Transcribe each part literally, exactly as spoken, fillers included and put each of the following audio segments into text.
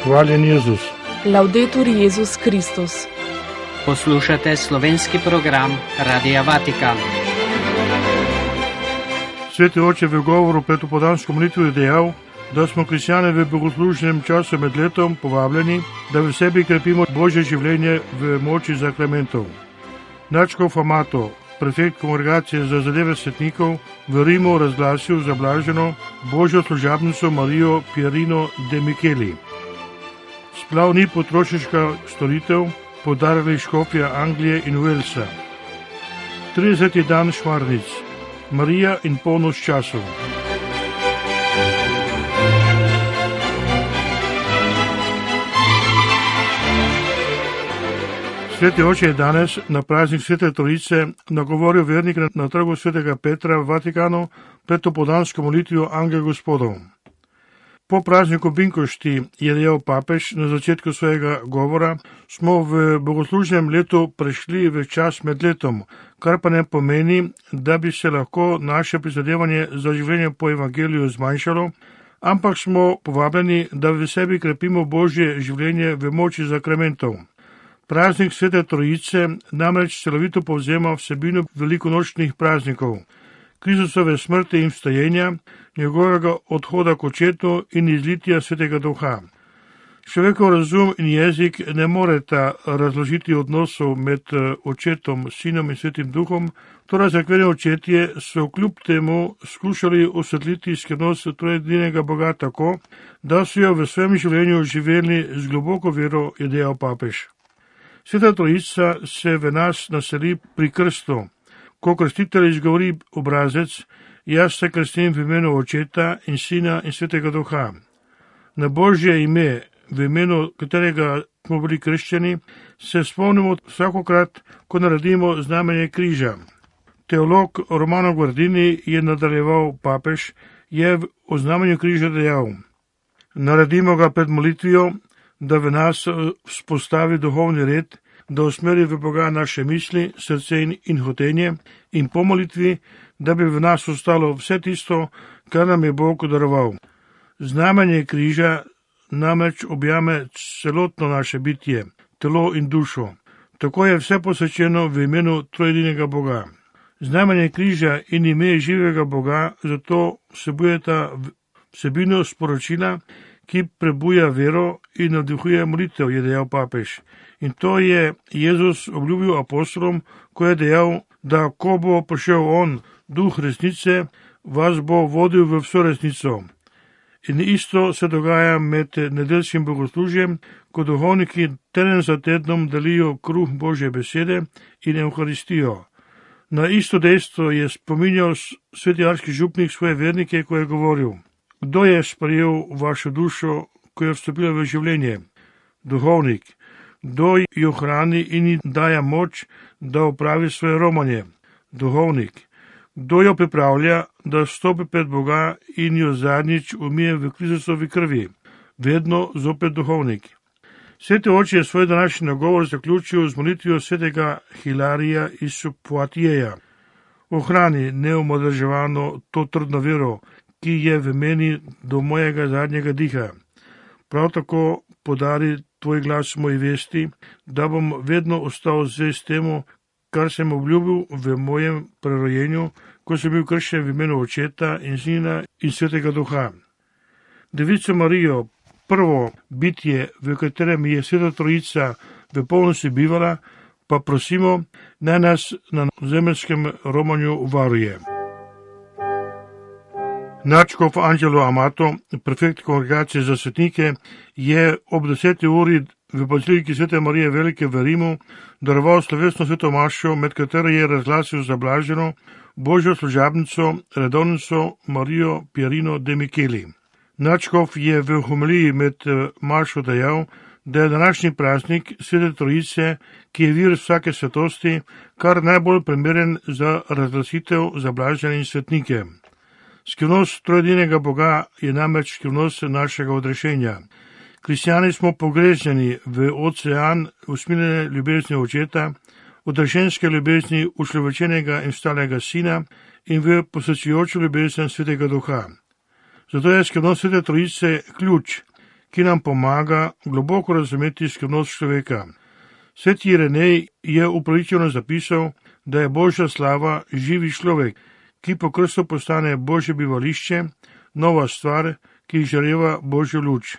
Hvaljen Jezus. Laudetur Jezus Kristus. Poslušate slovenski program Radia Vatikan. Sveti oče v govoru pred opoldansko molitvo je dejal, da smo kristjani v bogoslužnem času med letom povabljeni, da v sebi krepimo Božje življenje v moči sakramentov. Nadškof Amato, prefekt kongregacije za zadeve svetnikov, v Rimu razglasil zablaženo Božjo služabnico Marijo Pierino de Micheli. Splav ni potrošniška storitev, podarili škofja Anglije in Walesa. trideseti dan šmarnic, Marija in polnoč časov. Sveti oče je danes na praznik Svete Trojice nagovoril vernike na trgu Svetega Petra v Vatikanu pred opoldansko molitvijo Angel Gospodov. Po prazniku Binkošti je dejal papež na začetku svojega govora, smo v bogoslužnem letu prešli v čas med letom, kar pa ne pomeni, da bi se lahko naše prizadevanje za življenje po evangeliju zmanjšalo, ampak smo povabljeni, da v sebi krepimo Božje življenje v moči sakramentov. Praznik Svete Trojice namreč celovito povzema vsebino velikonočnih praznikov, Kristusove smrti in vstajenja, njegovega odhoda k očetu in izlitja Svetega Duha. Človekov razum in jezik ne moreta razložiti odnosov med očetom, sinom in Svetim Duhom, torej cerkveni očetje so kljub temu skušali osvetliti skrivnost trojedinega Boga tako, da so jo v svojem življenju živeli z globoko vero, je dejal papež. Sveta Trojica se v nas naseli pri krstu. Ko krstitelj izgovori obrazec, jaz se krstim v imenu Očeta in Sina in Svetega Duha. Na Božje ime, v imenu katerega smo bili krščeni, se spomnimo vsakokrat, ko naredimo znamenje križa. Teolog Romano Guardini je nadaljeval papež, je o znamenju križa dejal: naredimo ga pred molitvijo, da v nas vzpostavi duhovni red, da usmeri v Boga naše misli, srce in, in hotenje, in po molitvi, da bi v nas ostalo vse tisto, kar nam je Bog daroval. Znamenje križa namreč objame celotno naše bitje, telo in dušo. Tako je vse posvečeno v imenu trojedinega Boga. Znamenje križa in ime živega Boga zato vsebujeta vsebino sporočila, ki prebuja vero in navdihuje molitev, je dejal papež. In to je Jezus obljubil apostolom, ko je dejal, da ko bo prišel on, duh resnice, vas bo vodil v vso resnico. In isto se dogaja med nedeljskim bogoslužjem, ko duhovniki teden za tednom delijo kruh Božje besede in Evharistijo. Na isto dejstvo je spominjal sveti arhižupnik svoje vernike, ko je govoril: kdo je sprejel vašo dušo, ko je vstopila v življenje? Duhovnik. Kdo jo hrani in ji daje moč, da opravi svoje romanje? Duhovnik. Kdo jo pripravlja, da stopi pred Boga in jo zadnjič umije v Kristusovi krvi? Vedno zopet duhovnik. Sveti oče je svoj današnji nagovor zaključil z molitvijo svetega Hilarija iz Poitiers. Ohrani neomodrževano to trdno vero, ki je v meni do mojega zadnjega diha. Prav tako podari tvoj glas moji vesti, da bom vedno ostal zvest temu, kar sem obljubil v mojem prerojenju, ko sem bil krščen v imenu Očeta in Sina in Svetega Duha. Devico Marijo, prvo bitje, v katerem je Sveta Trojica v polnosti bivala, pa prosimo, naj nas na zemeljskem romanju varuje. Nadškof Angelo Amato, prefekt kongregacije za svetnike, je ob deseti uri v baziliki Svete Marije Velike v Rimu daroval slovesno sveto mašo, med katero je razglasil zablaženo Božjo služabnico, redovnico Marijo Pierino de Micheli. Nadškof je v homiliji med mašo dejal, da je današnji praznik Svete Trojice, ki je vir vsake svetosti, kar najbolj primeren za razglasitev zablažene in svetnike. Skrivnost trojedinega Boga je namreč skrivnost našega odrešenja. Kristjani smo pogreznjeni v ocean usmiljene ljubezni Očeta, odrešenske ljubezni ušlovečenega in vstalega Sina in v posvečujočo ljubezen Svetega Duha. Zato je skrivnost Svete Trojice ključ, ki nam pomaga globoko razumeti skrivnost človeka. Sveti Irenej je upravičeno zapisal, da je Božja slava živi človek, ki po krstu postane Božje bivališče, nova stvar, ki izžareva Božjo luč.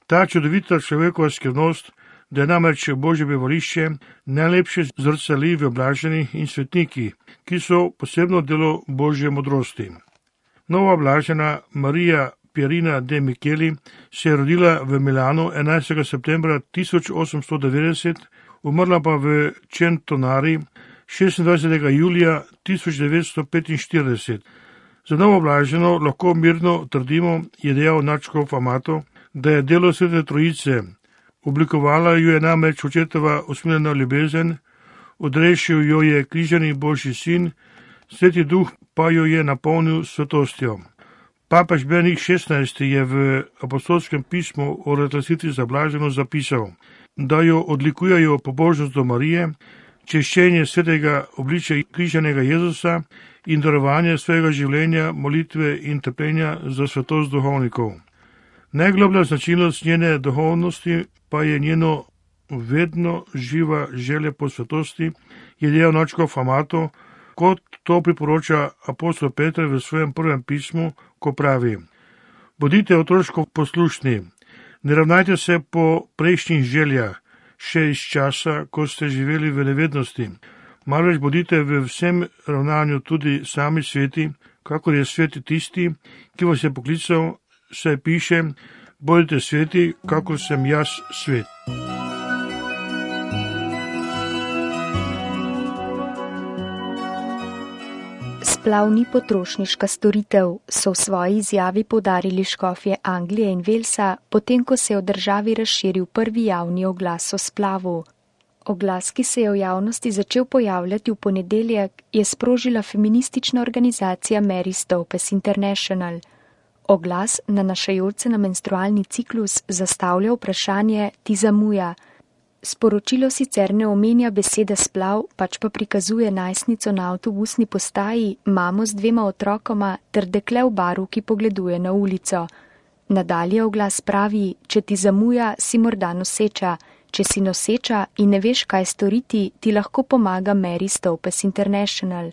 Ta čudovita človekova skrivnost, da je namreč Božje bivališče, najlepše zrcali v blaženih in svetniki, ki so posebno delo Božje modrosti. Nova blažena Marija Pierina de Micheli se je rodila v Milanu enajstega septembra tisoč osemsto devetdeset, umrla pa v Centonari šestindvajsetega julija tisoč devetsto petinštirideset. Za novo blaženo lahko mirno trdimo, je dejal nadškof Amato, da je delo Svete Trojice. Oblikovala jo je namreč očetova usmiljena ljubezen, odrešil jo je križani Božji sin, Sveti Duh pa jo je napolnil svetostjo. Papež Benedikt šestnajsti je v apostolskem pismu o razglasitvi za blaženo zapisal, da jo odlikujejo pobožnost do Marije, češčenje svetega obličja križanega Jezusa in darovanje svojega življenja, molitve in trpljenja za svetost duhovnikov. Najgloblja značilnost njene duhovnosti pa je njeno vedno živa želja po svetosti, je dejal nadškof Amato, kot to priporoča apostol Peter v svojem prvem pismu, ko pravi: Bodite otroško poslušni, ne ravnajte se po prejšnjih željah, še iz časa, ko ste živeli v nevednosti, marveč bodite v vsem ravnanju tudi sami sveti, kakor je sveti tisti, ki vas je poklical, saj piše: bodite sveti, kakor sem jaz svet. Splav ni potrošniška storitev, so v svoji izjavi poudarili škofje Anglije in Walesa, potem ko se je v državi razširil prvi javni oglas o splavu. Oglas, ki se je v javnosti začel pojavljati v ponedeljek, je sprožila feministična organizacija Mary Stopes International. Oglas, nanašajoč se na menstrualni ciklus, zastavlja vprašanje: ti zamuja. Sporočilo sicer ne omenja besede splav, pač pa prikazuje najstnico na avtobusni postaji, mamo z dvema otrokoma ter dekle v baru, ki pogleduje na ulico. Nadalje oglas pravi: če ti zamuja, si morda noseča. Če si noseča in ne veš, kaj storiti, ti lahko pomaga Mary Stopes International.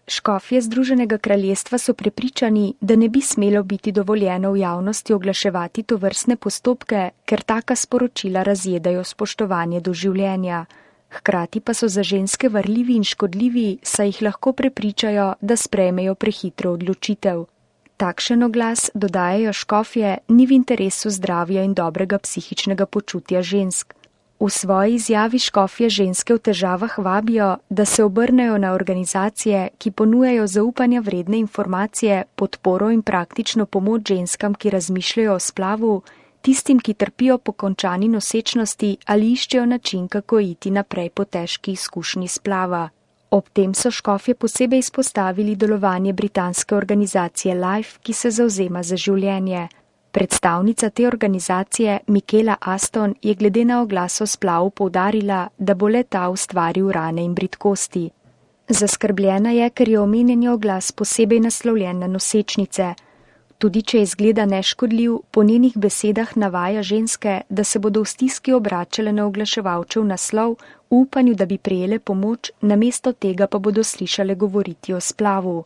Škofje Združenega kraljestva so prepričani, da ne bi smelo biti dovoljeno v javnosti oglaševati tovrstne postopke, ker taka sporočila razjedajo spoštovanje do življenja. Hkrati pa so za ženske varljivi in škodljivi, saj jih lahko prepričajo, da sprejmejo prehitro odločitev. Takšen oglas, dodajajo škofje, ni v interesu zdravja in dobrega psihičnega počutja žensk. V svoji izjavi škofje ženske v težavah vabijo, da se obrnejo na organizacije, ki ponujajo zaupanja vredne informacije, podporo in praktično pomoč ženskam, ki razmišljajo o splavu, tistim, ki trpijo po končani nosečnosti ali iščejo način, kako iti naprej po težki izkušnji splava. Ob tem so škofje posebej izpostavili delovanje britanske organizacije Life, ki se zavzema za življenje. Predstavnica te organizacije, Michaela Aston, je glede na oglas o splavu poudarila, da bo le ta ustvaril rane in bridkosti. Zaskrbljena je, ker je omenjeni oglas posebej naslovljen na nosečnice. Tudi če izgleda neškodljiv, po njenih besedah navaja ženske, da se bodo v stiski obračale na oglaševalčev naslov, v upanju, da bi prejele pomoč, namesto tega pa bodo slišale govoriti o splavu.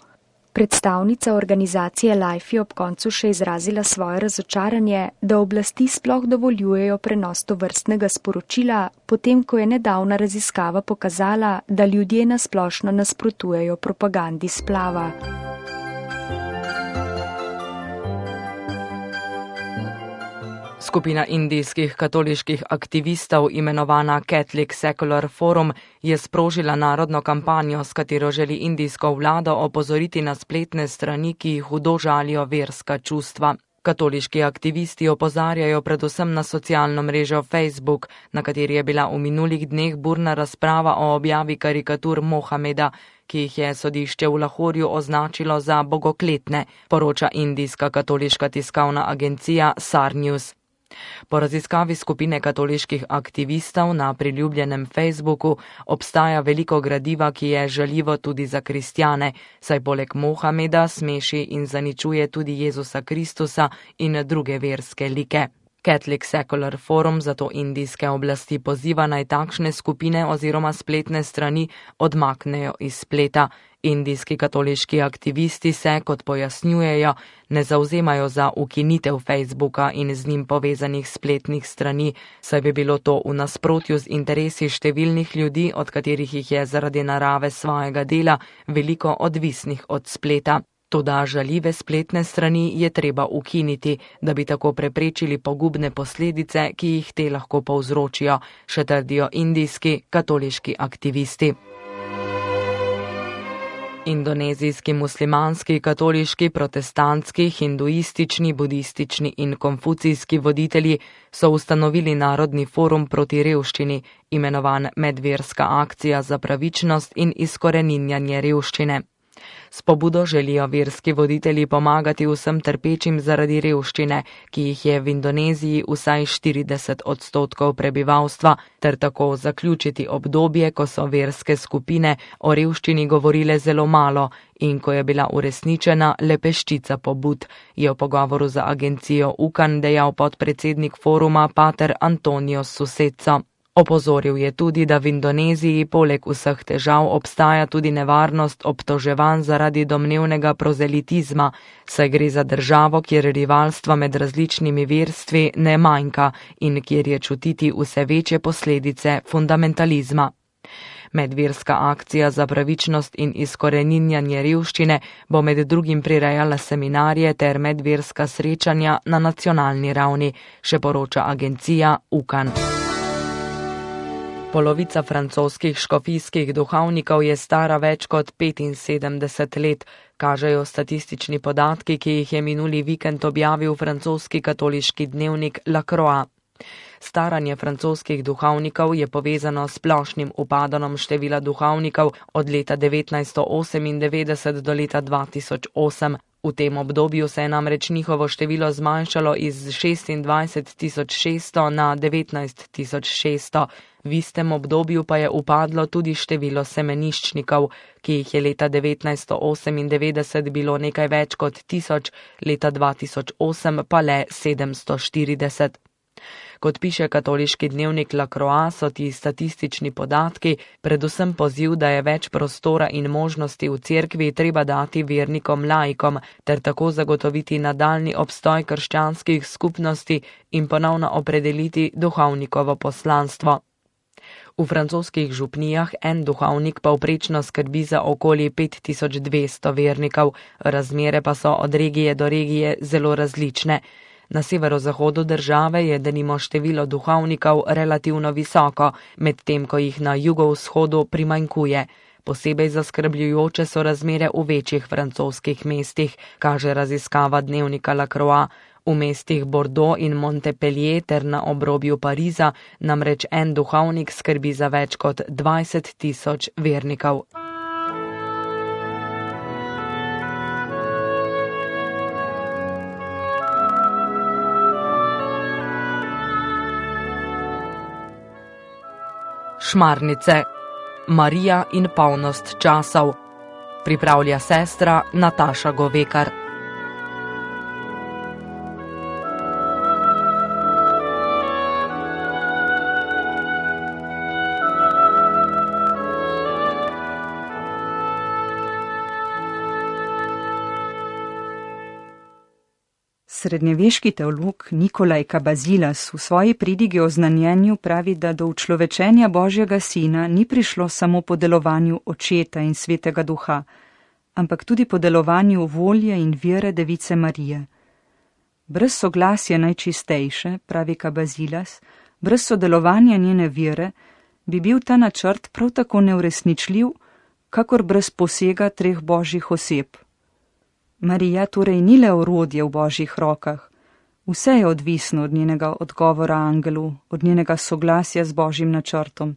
Predstavnica organizacije Life je ob koncu še izrazila svoje razočaranje, da oblasti sploh dovoljujejo prenos tovrstnega sporočila, potem ko je nedavna raziskava pokazala, da ljudje nasplošno nasprotujejo propagandi splava. Skupina indijskih katoliških aktivistov, imenovana Catholic Secular Forum, je sprožila narodno kampanjo, s katero želi indijsko vlado opozoriti na spletne strani, ki hudo žalijo verska čustva. Katoliški aktivisti opozarjajo predvsem na socialno mrežo Facebook, na kateri je bila v minulih dneh burna razprava o objavi karikatur Mohameda, ki jih je sodišče v Lahorju označilo za bogokletne, poroča indijska katoliška tiskovna agencija Sar News. Po raziskavi skupine katoliških aktivistov na priljubljenem Facebooku obstaja veliko gradiva, ki je žaljivo tudi za kristjane, saj poleg Mohameda smeši in zaničuje tudi Jezusa Kristusa in druge verske like. Catholic Secular Forum zato indijske oblasti poziva naj takšne skupine oziroma spletne strani odmaknejo iz spleta. Indijski katoliški aktivisti se, kot pojasnjujejo, ne zauzemajo za ukinitev Facebooka in z njim povezanih spletnih strani, saj bi bilo to v nasprotju z interesi številnih ljudi, od katerih jih je zaradi narave svojega dela veliko odvisnih od spleta. Toda žaljive spletne strani je treba ukiniti, da bi tako preprečili pogubne posledice, ki jih te lahko povzročijo, še trdijo indijski katoliški aktivisti. Indonezijski muslimanski, katoliški, protestantski, hinduistični, budistični in konfucijski voditelji so ustanovili Narodni forum proti revščini, imenovan Medverska akcija za pravičnost in izkoreninjanje revščine. S pobudo želijo verski voditelji pomagati vsem trpečim zaradi revščine, ki jih je v Indoneziji vsaj štirideset odstotkov prebivalstva, ter tako zaključiti obdobje, ko so verske skupine o revščini govorile zelo malo in ko je bila uresničena le peščica pobud, je v pogovoru za agencijo U K A N dejal podpredsednik foruma pater Antonio Suseco. Opozoril je tudi, da v Indoneziji poleg vseh težav obstaja tudi nevarnost obtoževanj zaradi domnevnega prozelitizma, saj gre za državo, kjer rivalstva med različnimi verstvi ne manjka in kjer je čutiti vse večje posledice fundamentalizma. Medverska akcija za pravičnost in izkoreninjanje revščine bo med drugim prirejala seminarje ter medverska srečanja na nacionalni ravni, še poroča agencija U K A N. Polovica francoskih škofijskih duhovnikov je stara več kot petinsedemdeset let, kažejo statistični podatki, ki jih je minuli vikend objavil francoski katoliški dnevnik La Croix. Staranje francoskih duhovnikov je povezano s splošnim upadanjem števila duhovnikov od leta devetnajststo osemindevetdeset do leta dva tisoč osem. V tem obdobju se je namreč njihovo število zmanjšalo iz šestindvajset tisoč šeststo na devetnajst tisoč šeststo. V istem obdobju pa je upadlo tudi število semeniščnikov, ki jih je leta devetnajststo osemindevetdeset bilo nekaj več kot tisoč, leta dva tisoč osem pa le sedemsto štirideset. Kot piše katoliški dnevnik La Croix, so ti statistični podatki predvsem poziv, da je več prostora in možnosti v cerkvi treba dati vernikom laikom, ter tako zagotoviti nadaljni obstoj krščanskih skupnosti in ponovno opredeliti duhovnikovo poslanstvo. V francoskih župnijah en duhovnik povprečno skrbi za okoli pet tisoč dvesto vernikov, razmere pa so od regije do regije zelo različne. Na severozahodu države je denimo število duhovnikov relativno visoko, medtem ko jih na jugovzhodu primanjkuje. Posebej zaskrbljujoče so razmere v večjih francoskih mestih, kaže raziskava dnevnika La Croix. V mestih Bordeaux in Montpellier ter na obrobju Pariza namreč en duhovnik skrbi za več kot dvajset tisoč vernikov. Šmarnice. Marija in polnost časov. Pripravlja sestra Nataša Govekar. Srednjeveški teolog Nikolaj Kabazilas v svoji pridigi o znanjenju pravi, da do učlovečenja Božjega Sina ni prišlo samo po delovanju Očeta in Svetega Duha, ampak tudi po delovanju volje in vere Device Marije. Brez soglasja najčistejše, pravi Kabazilas, brez sodelovanja njene vere, bi bil ta načrt prav tako neuresničljiv, kakor brez posega treh božjih oseb. Marija torej ni le orodje v božjih rokah, vse je odvisno od njenega odgovora angelu, od njenega soglasja z božjim načrtom.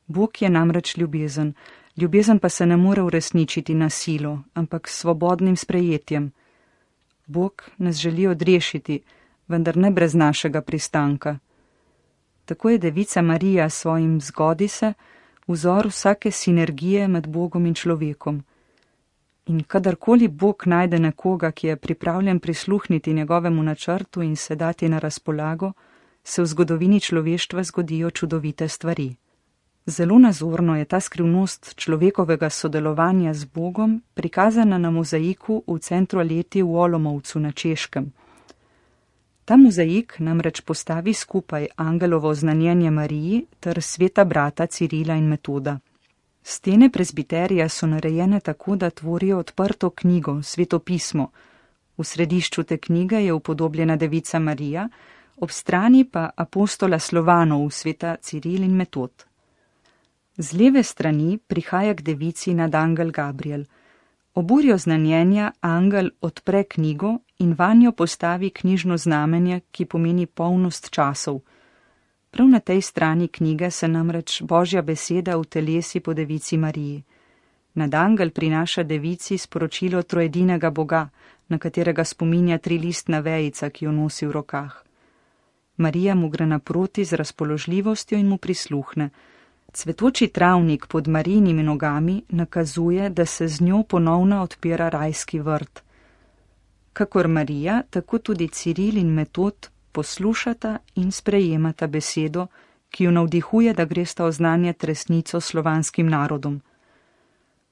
Bog je namreč ljubezen, ljubezen pa se ne more uresničiti na silo, ampak s svobodnim sprejetjem. Bog nas želi odrešiti, vendar ne brez našega pristanka. Tako je Devica Marija svojim zgodi se vzor vsake sinergije med Bogom in človekom. In kadarkoli Bog najde nekoga, ki je pripravljen prisluhniti njegovemu načrtu in se dati na razpolago, se v zgodovini človeštva zgodijo čudovite stvari. Zelo nazorno je ta skrivnost človekovega sodelovanja z Bogom prikazana na mozaiku v centru Aleti v Olomovcu na Češkem. Ta mozaik namreč postavi skupaj angelovo oznanjenje Mariji ter sveta brata Cirila in Metoda. Stene prezbiterija so narejene tako, da tvorijo odprto knjigo, sveto pismo. V središču te knjige je upodobljena devica Marija, ob strani pa apostola Slovanov, sveta Ciril in Metod. Z leve strani prihaja k devici nad angel Gabriel. Ob uri oznanjenja angel odpre knjigo in vanjo postavi knjižno znamenje, ki pomeni polnost časov. Prav na tej strani knjige se namreč Božja beseda utelesi po devici Mariji. Nad angel prinaša devici sporočilo trojedinega Boga, na katerega spominja trilistna vejica, ki jo nosi v rokah. Marija mu gre naproti z razpoložljivostjo in mu prisluhne. Cvetoči travnik pod Marijinimi nogami nakazuje, da se z njo ponovno odpira rajski vrt. Kakor Marija, tako tudi Ciril in Metod poslušata in sprejemata besedo, ki jo navdihuje, da gresta oznanjati resnico slovanskim narodom.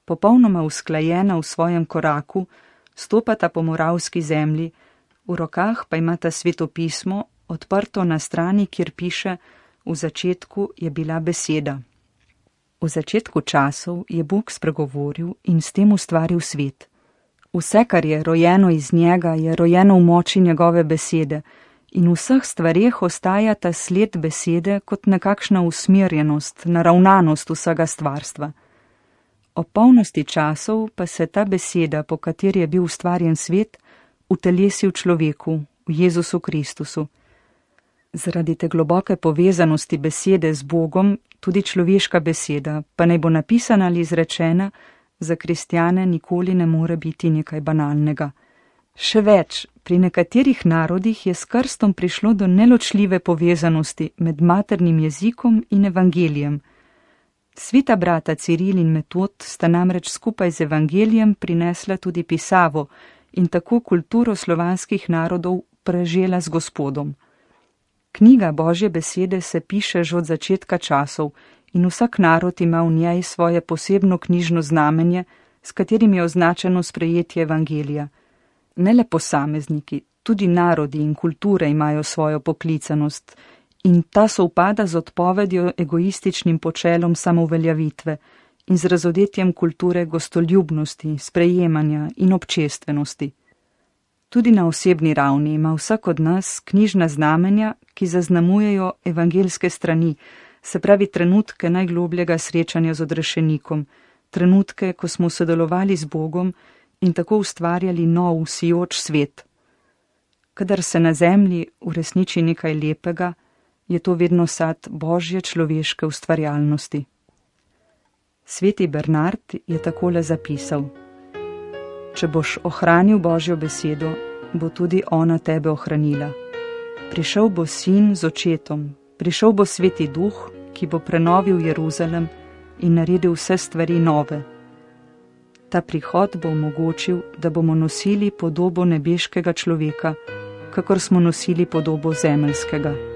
Popolnoma usklajena v svojem koraku, stopata po moravski zemlji, v rokah pa imata sveto pismo, odprto na strani, kjer piše: v začetku je bila beseda. V začetku časov je Bog spregovoril in s tem ustvaril svet. Vse, kar je rojeno iz njega, je rojeno v moči njegove besede in v vseh stvareh ostaja ta sled besede kot nekakšna usmerjenost, naravnanost vsega stvarstva. O polnosti časov pa se ta beseda, po kateri je bil ustvarjen svet, utelesi v človeku, v Jezusu Kristusu. Zaradi te globoke povezanosti besede z Bogom, tudi človeška beseda, pa naj bo napisana ali izrečena, za kristjane nikoli ne more biti nekaj banalnega. Še več, pri nekaterih narodih je s krstom prišlo do neločljive povezanosti med maternim jezikom in evangelijem. Sveta brata Ciril in Metod sta namreč skupaj z evangelijem prinesla tudi pisavo in tako kulturo slovanskih narodov prežela z Gospodom. Knjiga Božje besede se piše že od začetka časov in vsak narod ima v njej svoje posebno knjižno znamenje, s katerim je označeno sprejetje evangelija. Ne le posamezniki, tudi narodi in kulture imajo svojo poklicanost in ta sovpada z odpovedjo egoističnim počelom samouveljavitve in z razodetjem kulture gostoljubnosti, sprejemanja in občestvenosti. Tudi na osebni ravni ima vsak od nas knjižna znamenja, ki zaznamujejo evangelske strani, se pravi trenutke najglobljega srečanja z odrešenikom, trenutke, ko smo sodelovali z Bogom in tako ustvarjali nov, sijoč svet. Kadar se na zemlji uresniči nekaj lepega, je to vedno sad Božje človeške ustvarjalnosti. Sveti Bernard je takole zapisal: Če boš ohranil Božjo besedo, bo tudi ona tebe ohranila. Prišel bo sin z očetom, prišel bo sveti duh, ki bo prenovil Jeruzalem in naredil vse stvari nove. Ta prihod bo omogočil, da bomo nosili podobo nebeškega človeka, kakor smo nosili podobo zemeljskega.